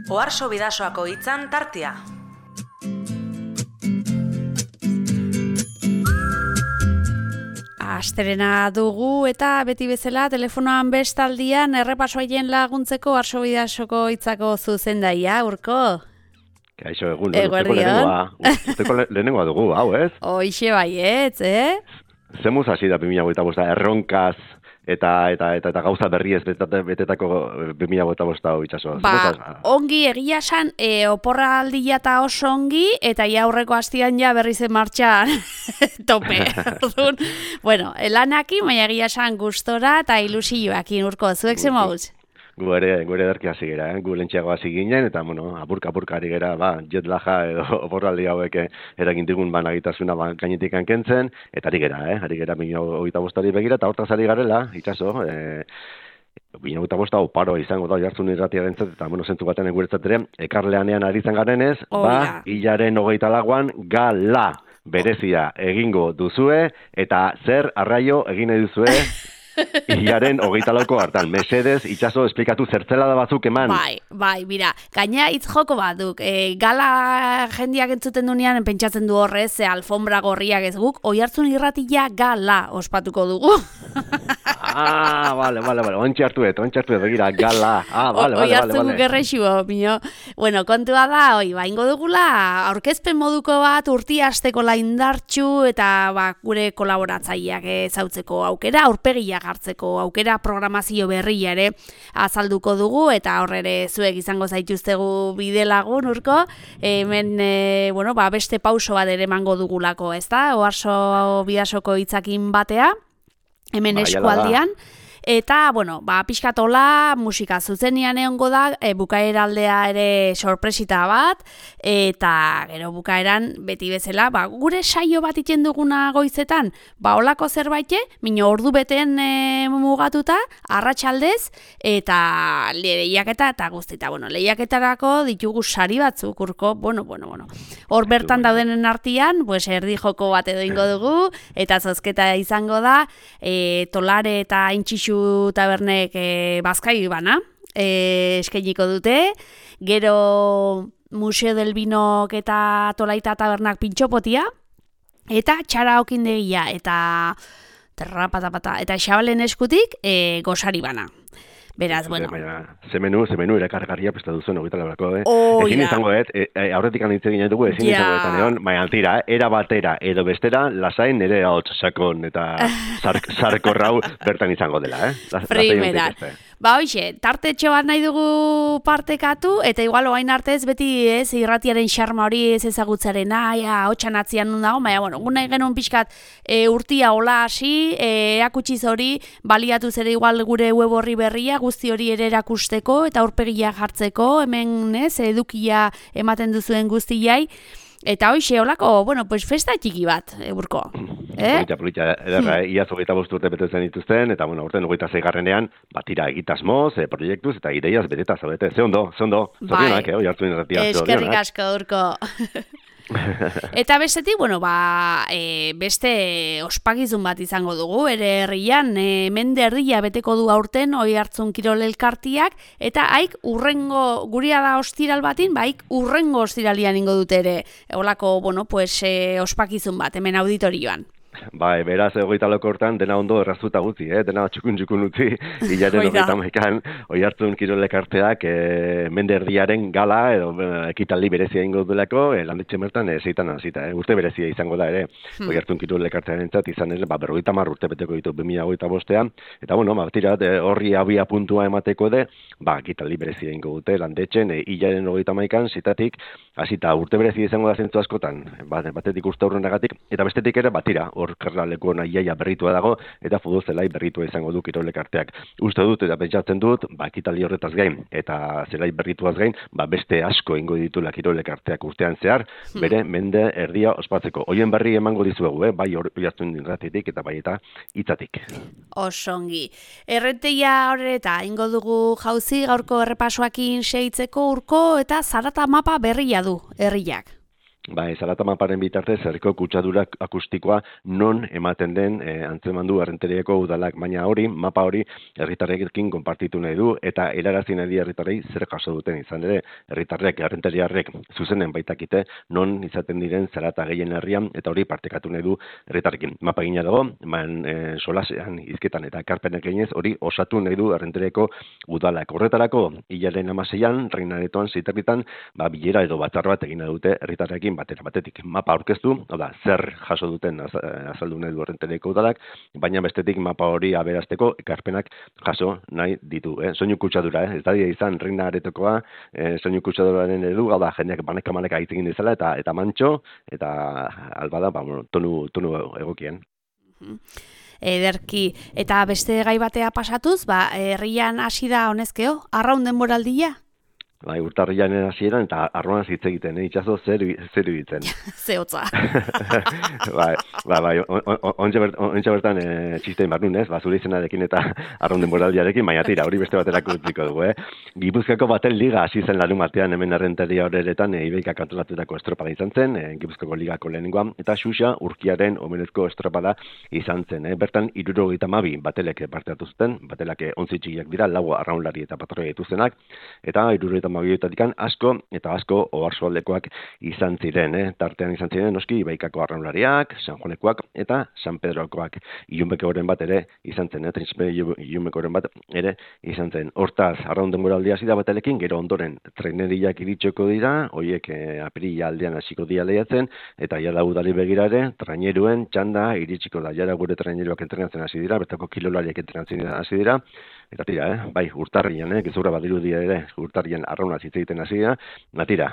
Oharso Bidasoako hitzan tartea. Asterena dugu eta beti bezala telefonoan bestaldian errepasoaien laguntzeko Oharso Bidasoko hitzako zuzendaia, Urko. Kaixo, urteko lehenengoa dugu, hau, ez? Hoixe baietz, Zemuz hasi da 2025, erronkaz eta gauza berriez betetako 2025 hau itxaso. Ongi egia esan, oporraldia eta oso ongi, eta aurreko astian ja berriz martxan tope. Bueno, lanaki, baina egia esan gustora eta ilusioakin, Urko, zuek zemauz? Gu ere derki hasi gera, gu lentxeago hasi ginen, eta apurka ari gera, jet laja edo oporraldi hauek eragin digun nagitasuna gainetik kentzen, eta ari gera 2025 begira, eta hortaz ari garela, itxaso, 2025 hau paro izango da jartzun irratiarentzat, eta zentzu baten guretzat ere, ekarleanean ari zen garenez, hilaren 24an gala berezia egingo duzue, eta zer arraio egin nahi duzue, hilaren 24ko hartan, mesedez, itxaso, esplikatu zertzela da batzuk eman. Bai, bira, gaina hitz joko baduk, gala jendiak entzuten dunean, pentsatzen du horrez, alfombra gorriak ez guk, Oihartzun irratia gala ospatuko dugu. Vale, ontsi hartu begira, gala. Oihartzun gerrexu, Bueno, kontua da, ingo dugula, aurkezpen moduko bat, urti hasteko laindartxu, eta gure kolaboratzaileak ezautzeko aukera, aurpegiak hartzeko aukera, programazio berria ere azalduko dugu, eta horre zuek izango zaituztegu bide lagun, Urko, hemen, beste pauso bat ere emango dugulako, ezta? Oharso Bidasoko hitzakin batea, hemen eskualdian. Eta, pixkatola, musika zuzenean egongo da, bukaeraldea ere sorpresita bat, eta gero bukaeran beti bezala, gure saio bat iten duguna goizetan, olako zerbait, ordu beten mugatuta, arratsaldez, eta lehiaketa eta guztita. Lehiaketarako ditugu sari batzuk, Urko, hor bertan daudenen artean, erdi joko bat edo ingo dugu, eta zozketa izango da, Tolare eta Intxixu tabernek bazkai bana eskainiko dute, gero Museo del Binok eta Tolaita tabernak pintxopotia, eta txara okindegia eta terrapatapata, eta xabalen eskutik gosari bana. Beraz, Zemenu erakargarria prestatu zuen ogita labrako, Ezin izango, aurretik anitze ginen dugu, ezin izango eta neon, baina altira, era batera, edo bestera, lasain nire hotz sakon eta sarkorrau bertan izango dela, Primeran. Hoxe, tartetxo bat nahi dugu partekatu, eta igual oain artez beti irratiaren xarma hori ez ezagutzaren, hotxan atzian nun dago, baina, nahi genuen pixkat urtia hola hasi, erakutsiz hori, baliatu zere igual gure web horri berria, guzti hori ere erakusteko, eta aurpegia jartzeko, hemen edukia ematen duzuen guztiai, eta hoxe, holako, festa txiki bat, Urko. Polita, ederra, iaz 25 urte betetzen dituzten, eta, urten 26garrenean, batira egitasmoz, proiektuz, eta ideiaz beteta zaudete. Ze ondo, zorionak, Oihartzun irratia. Eskerrik asko, Urko. Eta bestetik, beste ospakizun bat izango dugu, ere herrian, mende erdia beteko du aurten Oihartzun Kirol Elkartiak, eta haik urrengo, guria da ostiral batin, haik urrengo ostiralian ingo dute ere, holako, ospakizun bat, hemen auditorioan. Beraz, 24 hortan, dena ondo errazuta gutzi, dena txukun utzi, hilaren 31an, Oihartzun Kirol Elkarteak mende erdiaren gala, edo ekitaldi berezia ingo duelako, landetxe mertan zeitan hasita, urte berezia izango da ere, Oihartzun Kirol Elkartearen zat, izan ere, 50 urte beteko ditu 2025an, eta batira, horri abia puntua emateko de, ekitaldi berezia ingo dute, landetxen, hilaren 31an, zitatik, hasita urte berezia izango da zentzu askotan, batetik uste aurrenagatik, eta bestetik ere, batira, hor karlaleko nahiaia berritua dago, eta futbol zelai berritua izango du Kirol Elkarteak. Uste dut, eta pentsatzen dut, ekitaldi horretaz gain, eta zelai berrituaz gain, beste asko ingo ditula Kirol Elkarteak urtean zehar, bere mende erdia ospatzeko. Hoien berri emango dizuegu, bai Oihartzun irratitik eta bai eta hitzatik. Osongi. Errenteia horreta, ingo dugu jauzi gaurko errepasoakin segitzeko, Urko, eta zarata mapa berria du, herriak. Bai, zarata maparen bitartez, herriko kutsadura akustikoa non ematen den antzemandu Errenteriako udalak, baina mapa hori herritarrekin konpartitu nahi du, eta helarazi nahi herritarrei zer jaso duten izan ere, herritarrek, errenteriarrek zuzenen baitakite non izaten diren zarata gehien herrian, eta hori partekatu nahi du herritarrekin. Mapa gina dago, solasean, hizketan eta ekarpenak eginez, hori osatu nahi du Errenteriako udalak. Horretarako, hilaren 16an, Reinaretoan ziterritan, bilera edo batzar bat egin dute herritarrekin batetik mapa aurkeztu, zer jaso duten azaldu nahi du Errenteriako udalak, baina bestetik mapa hori aberasteko ekarpenak jaso nahi ditu. Soinu kutsadura, ez da izan Reina Aretokoa, soinu kutsaduraren edu, jendeak baneka hitz egin dizela, eta mantxo, eta albada, tonu egokien. Ederki, eta beste gai batea pasatuz, herrian hasi da honezkeo, arraun denboraldia? Urtarrian hasieran eta arroan hitz egiten, itxaso zer iruditzen. Zehotza. Ontsa bertan txistein barnun, zure izenarekin eta arraun denboraldiarekin, baina tira, hori beste baterako utziko dugu, Gipuzkoako baten liga hasi zen larun batean, hemen Errenteria horretan Ibeikak antolatutako estropada izan zen, Gipuzkoako ligako lehenengoa, eta Xuxa Urkiaren omenezko estropada izan zen. Bertan 72 batelek parte hartu zuten, batelak 11 txikiak dira, 4 arraunlari eta patroia dituztenak, eta 72 asko oarsoaldekoak izan ziren, tartean izan ziren noski Ibaikako arraunlariak, San Juanekoak eta San Pedrokoak. Ilunbekoren bat ere izan zen, Ilunbekoren bat ere izan zen. Hortaz, arraun denboraldia hasi da batelekin, gero ondoren treneriak iritsiko dira, horiek apirila aldean hasiko dira lehiatzen, eta jada udari begirare, traineruen txanda iritsiko da, jada gure traineruak entrenatzen hasi dira, bertako kilolariak entrenatzen hasi dira, eta tira, urtarrian, gezurra badirudi ere, urtarrian arraunaz hitz egiten hasi dira, tira,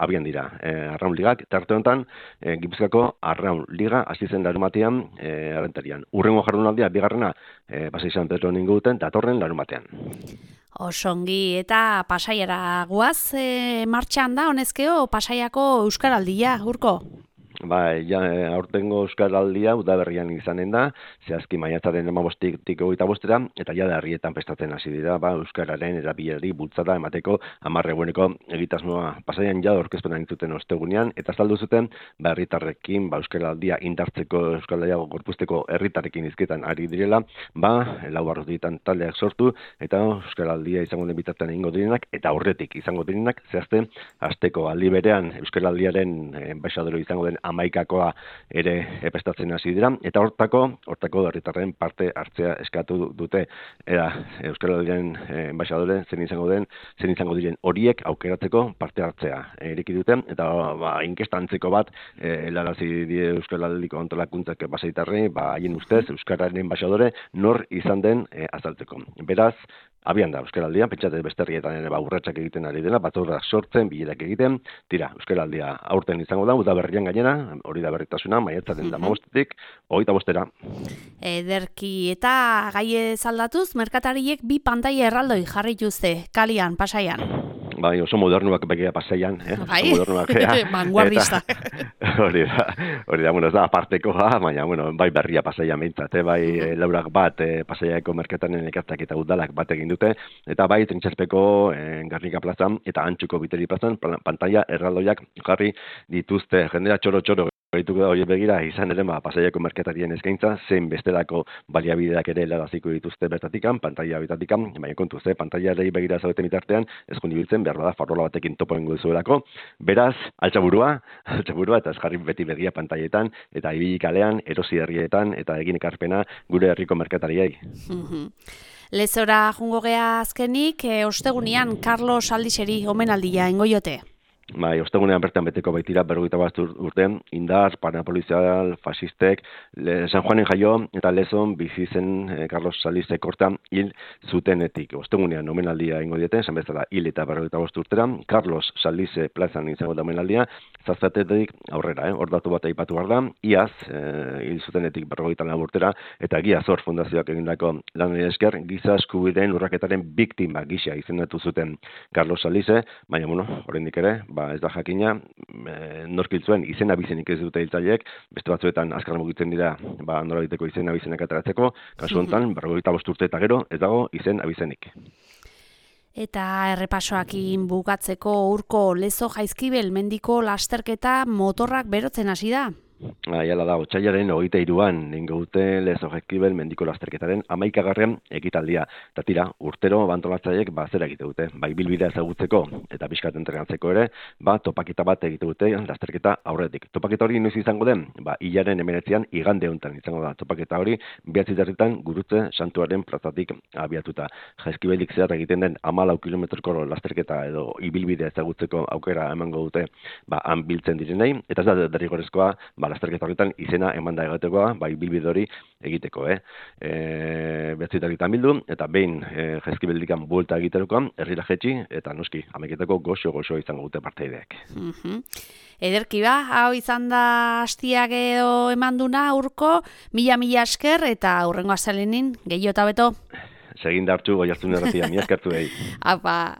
abian dira, arraun ligak, tarte honetan, Gipuzkoako arraun liga hasi zen larumatean Errenterian. Urrengo jardunaldia, bigarrena, Pasai San Pedro ninguten, datorren larumatean. Osongi, eta Pasaiara guaz, martxan da, honezkeo, Pasaiako Euskaraldia, Urko? Aurtengo Euskaraldia udaberrian izanen da, zehazki maiatzaren 15tik 25, eta jada herrietan prestatzen hasi dira, Euskararen erabilerari bultzada emateko 10 eguneko egitasmoa. Pasaian jada aurkezpena entzuten ostegunean, eta azaldu zuten herritarrekin Euskaraldia indartzeko, Euskaraldia gorpuzteko herritarrekin hizketan ari direla, 4 barrutitan taldeak sortu, eta Euskaraldia izango den bitartean egingo direnak, eta aurretik izango direnak, zehazte, hasteko aldi berean Euskaraldiaren enbaixadore izango den 11koa ere prestatzen hasi dira, eta hortako herritarren parte hartzea eskatu dute, Euskaraldiaren enbaixadore zen izango diren horiek aukeratzeko parte hartzea ireki dute, eta inkesta antzeko bat helarazi die Euskaraldiko antolakuntzak Pasaitarrei, haien ustez Euskararen enbaixadore nor izan den azaltzeko. Beraz, abian da Euskaraldia, pentsate beste herrietan ere urratsak egiten ari dela, batzorrak sortzen, bilerak egiten, tira, Euskaraldia aurten izango da, udaberrian gainera, hori da berritasuna, maiatzaren 15tik 25era. Ederki, eta gai zaldatuz, merkatariek 2 pantaila erraldoi jarri dituzte, kalian, Pasaian. Oso modernuak begia Pasaian, Bai, vanguardista. Hori da, ez da apartekoa, baina, bai berria Pasaian behintzat, bai laurak bat Pasaiako merkataren elkarteak eta udalak bat egin dute, eta bai Trintxerpeko Garnika plazan eta Antxuko Biteri plazan pantaila erraldoiak jarri dituzte, jendea txoro Gaituko da hori begira, izan ere Pasaiako merkatarien eskaintza, zein bestelako baliabideak ere helaraziko dituzte bertatikan, pantaila bitatikan, baina kontuz, pantailari begira zaudeten bitartean, ez kondibiltzen, behar bada farola batekin topo ingo duzuelako. Beraz, altxaburua, eta ez jarri beti begia pantailetan, eta ibili kalean, erosi herrietan, eta egin ekarpena gure herriko merkatariei. Lezora jungo gea azkenik, ostegunean Carlos Aldixeri omenaldia ingoiote. Ostegunean bertan beteko baitira 41 urte, indar, parapolizial, fasistek, San Juanen jaio eta Lezon bizi zen Carlos Salizek hortan hil zutenetik. Ostegunean omenaldia ingo dieten, esan bezala hil eta 45 urtera, Carlos Salize plazan izango da omenaldia, zaztatetik aurrera, hor datu bat aipatu behar da, iaz hil zutenetik 44 urtera, eta Giazor Fundazioak egindako lanari esker, giza eskubideen urraketaren biktima gisa izendatu zuten Carlos Salize, baina, oraindik ere, ez da jakina, norkil zuen izen abizenik ez dute hiltzaileek, beste batzuetan azkar mugitzen dira, norabiteko izen abizenak ateratzeko, kasu honetan, 45 urte eta gero, ez dago izen abizenik. Eta errepasoakin bukatzeko Urko Lezo Jaizkibel mendiko lasterketa motorrak berotzen hasi da. Aiala da, otsailaren 23an ningo dute Lezo Jaizkibel mendiko lasterketaren 11. ekitaldia. Eta tira, urtero antolatzaileek zera egite dute. Bai bilbidea ezagutzeko eta pixkat entrenatzeko ere, topaketa bat egite dute lasterketa aurretik. Topaketa hori noiz izango den? Hilaren 19an igande honetan izango da. Topaketa hori 9 Gurutze Santuaren plazatik abiatuta. Jaizkibelik zehar egiten den 14 kilometroko lasterketa edo ibilbidea ezagutzeko aukera emango dute han biltzen direnei. Eta ez da derrigorrezkoa lasterketa horretan izena emanda egatekoa, ibilbide hori egiteko. 9 bildu, eta behin Jaizkibeldikan buelta egiterokoan, herrira jetxi, eta noski, ameketako goxo izango dute parteideak. Ederki hau izan da hastiak edo emanduna Urko, mila esker, eta hurrengo astelehenin gehiago eta beto. Segin dartxu, Goiartzun erratia, mila eskertu behi. Apa!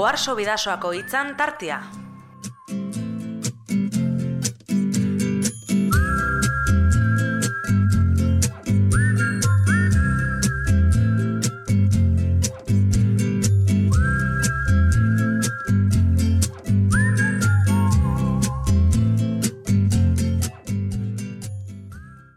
Oarso Bidasoako hitzan tartea.